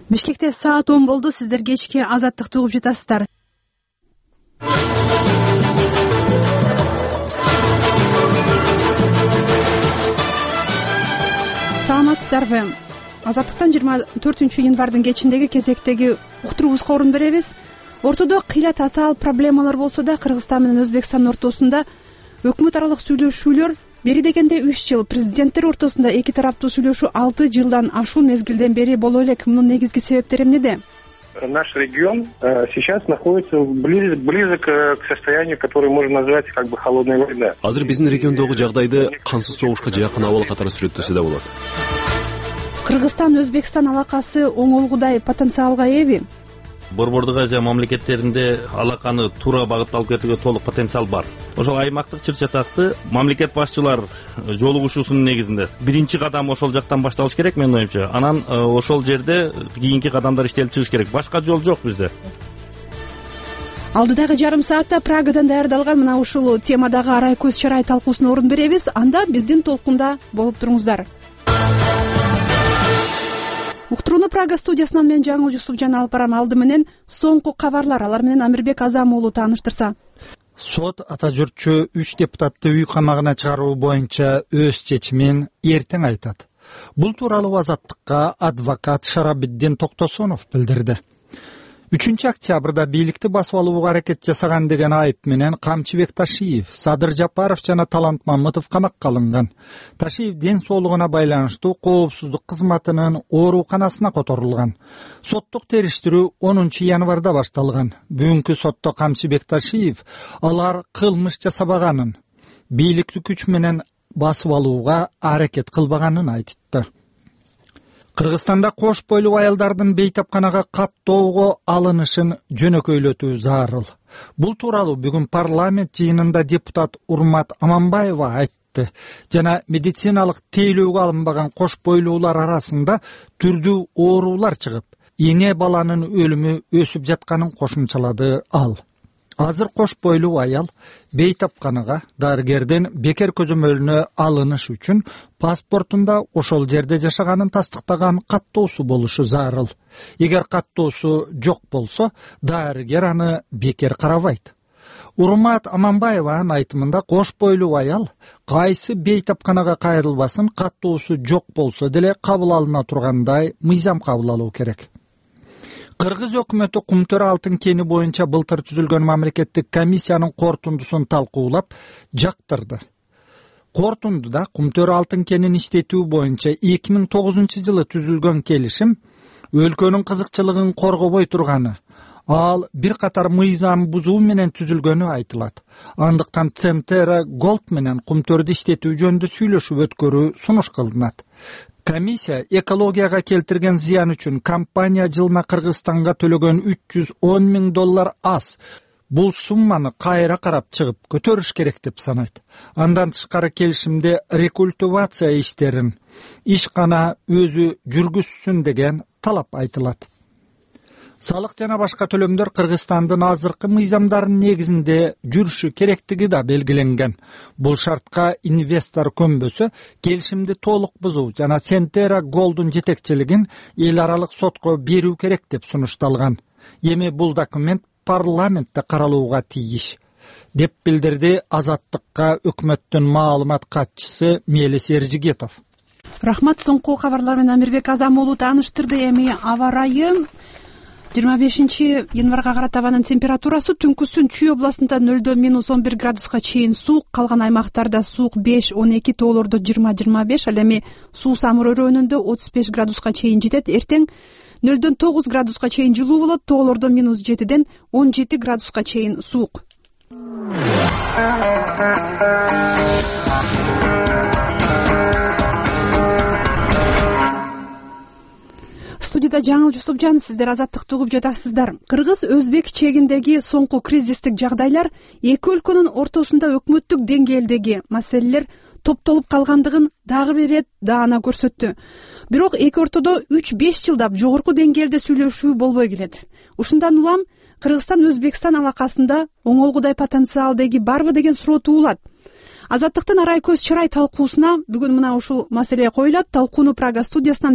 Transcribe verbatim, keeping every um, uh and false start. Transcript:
Бишкекте саат он болду. Сиздер кечки Азаттыкты угуп жатасыздар. Саламатсыздарбы? Азаттыктан жыйырма төртүнчү январдын кечиндеги кезектеги уктуруубузга орун беребиз. Ортодо кыйла татаал проблемалар болсо да, Кыргызстан менен Өзбекстандын ортосунда өкмөт аралык сүйлөшүүлөр бери дегенде үч жыл, президенттер ортосунда эки тараптуу сүйлөшүү алты жылдан ашуун мезгилден бери боло элек. Мунун негизги себептери эмнеде? Наш регион э, сейчас находится близ, близок к состоянию, которое можно назвать как бы холодной войной. Азыр биздин региондогу жагдайды кансыз согушка жакын абал катары сүрөттөсө да болот. Кыргызстан-Өзбекстан алакасы оңолгудай потенциалга эби? Борбордук Азия мамлекеттеринде алаканы туура багытта алып кетүүгө толук потенциал бар. Ошол аймактык чыр-чатакты мамлекет башчылар жолугушуусунун негизинде биринчи кадам ошол жактан башталыш керек менин оюмча. Анан ошол жерде кийинки кадамдар иштелип чыгыш керек. Башка жол жок бизде. Алдыдагы жарым саатта Прагадан даярдалган мына ушул темадагы арай көз чарай талкуусуна орун беребиз. Анда биздин толкунда болуп туруңуздар. Уктурууну Прага студиясынан мен Жаңыл Жусупжан алып барам. Алды менен соңку кабарлар, алар менен Амирбек Азам уулу тааныштырса. Сот ата журтчу үч депутатты үй камагына чыгаруу боюнча өз чечимин эртең айтат. Бул тууралуу Азаттыкка адвокат Шарабиддин Токтосонов билдирди. үчүнчү октябрда бийликти басып алууга аракет жасаган деген айып менен Камчыбек Ташиев, Садыр Жапаров жана Талант Мамытов камакка алынган. Ташиев ден соолугуна байланыштуу коопсуздук кызматынын ооруканасына которулган. Соттук териштирүү онунчу январда башталган. Бүгүнкү сотто Камчыбек Ташиев алар кылмыш жасабаганын, бийликти күч менен басып алууга аракет кылбаганын айтты. Кыргызстанда кош бойлуу аялдардын бейтапканага каттоого алынышын жөнөкөйлөтүү зарыл. Бул тууралуу бүгүн парламент жыйынында депутат Урмат Аманбаева айтты. Жана медициналык тейлөөгө алынбаган кош бойлуулар арасында түрдүү оорулар чыгып, эне баланын өлүмү өсүп жатканын кошумчалады ал. Азыр кош бойлуу аял бейтапканага дарыгерден бекер көзөмөлүнө алыныш үчүн паспортунда ошол жерде жашаганын тастыктаган каттоосу болушу зарыл. Эгер каттоосу жок болсо, дарыгер аны бекер карабайт. Урмат Аманбаеванын айтымында кош бойлуу аял кайсы бейтапканага кайрылбасын, каттоосу жок болсо деле кабыл алына тургандай мыйзам кабыл алуу керек. Кыргыз өкмөтү Кумтөр алтын кени боюнча былтыр түзүлгөн мамлекеттик комиссиянын корутундусун талкуулап жактырды. Корутундуда Кумтөр алтын кенин иштетүү боюнча эки миң тогузунчу жылы түзүлгөн келишим өлкөнүн кызыкчылыгын коргобой турганы, ал бир катар мыйзам бузуу менен түзүлгөнү айтылат. Андыктан Центера Голд менен Кумтөрдү иштетүү жөнүндө сүйлөшүп өткөрүү сунуш кылынат. Комиссия экологияга келтирген зыян үчүн компания жылына Кыргызстанга төлөгөн үч жүз он миң доллар аз. Бул сумманы кайра карап чыгып көтөрүш керек деп санайт. Андан тышкары келишимде рекультивация иштерин ишкана өзү жүргүзсүн деген талап айтылат. Салык жана башка төлөмдөр Кыргызстандын азыркы мыйзамдарынын негизинде жүрүшү керектиги да белгиленген. Бул шартка инвестор көнбөсө, келишимди толук бузуу жана Центера Голдун жетекчилигин эл аралык сотко берүү керек деп сунушталган. Эми бул документ парламентте каралууга тийиш, деп билдирди Азаттыкка өкмөттүн маалымат катчысы Мелис Эржигетов. Рахмат, соңку кабарлар менен Амирбек Азам уулу тааныштырды. Эми аба ырайы жыйырма бешинчи январга карата абанын температурасы түнкүсүн Чүй областында нөлдөн минус он бир градуска чейин суук, калган аймактарда суук беш он эки, тоолордо жыйырма жыйырма беш, ал эми суу самыр өрөөнүндө отуз беш градуска чейин жетет. Эртең нөлдөн тогуз градуска чейин жылуу болот, тоолордо минус жетиден он жети градуска чейин суук. Студияда Жаңыл Жусупжан, сиздер Азаттыкты угуп жатасыздар. Кыргыз-Өзбек чегиндеги соңку кризистик жагдайлар эки өлкөнүн ортосунда өкмөттүк деңгээлдеги маселелер топтолуп калгандыгын дагы бир ирет даана көрсөттү. Бирок эки ортодо үч беш жылдап жогорку деңгээлде сүйлөшүү болбой келет. Ушундан улам Кыргызстан-Өзбекстан алакасында оңолгудай потенциал деги барбы деген суроо туулат. Азаттыктын арай көз чарай талкуусуна бүгүн мына ушул маселе коюлат. Талкууну Прага студиясынан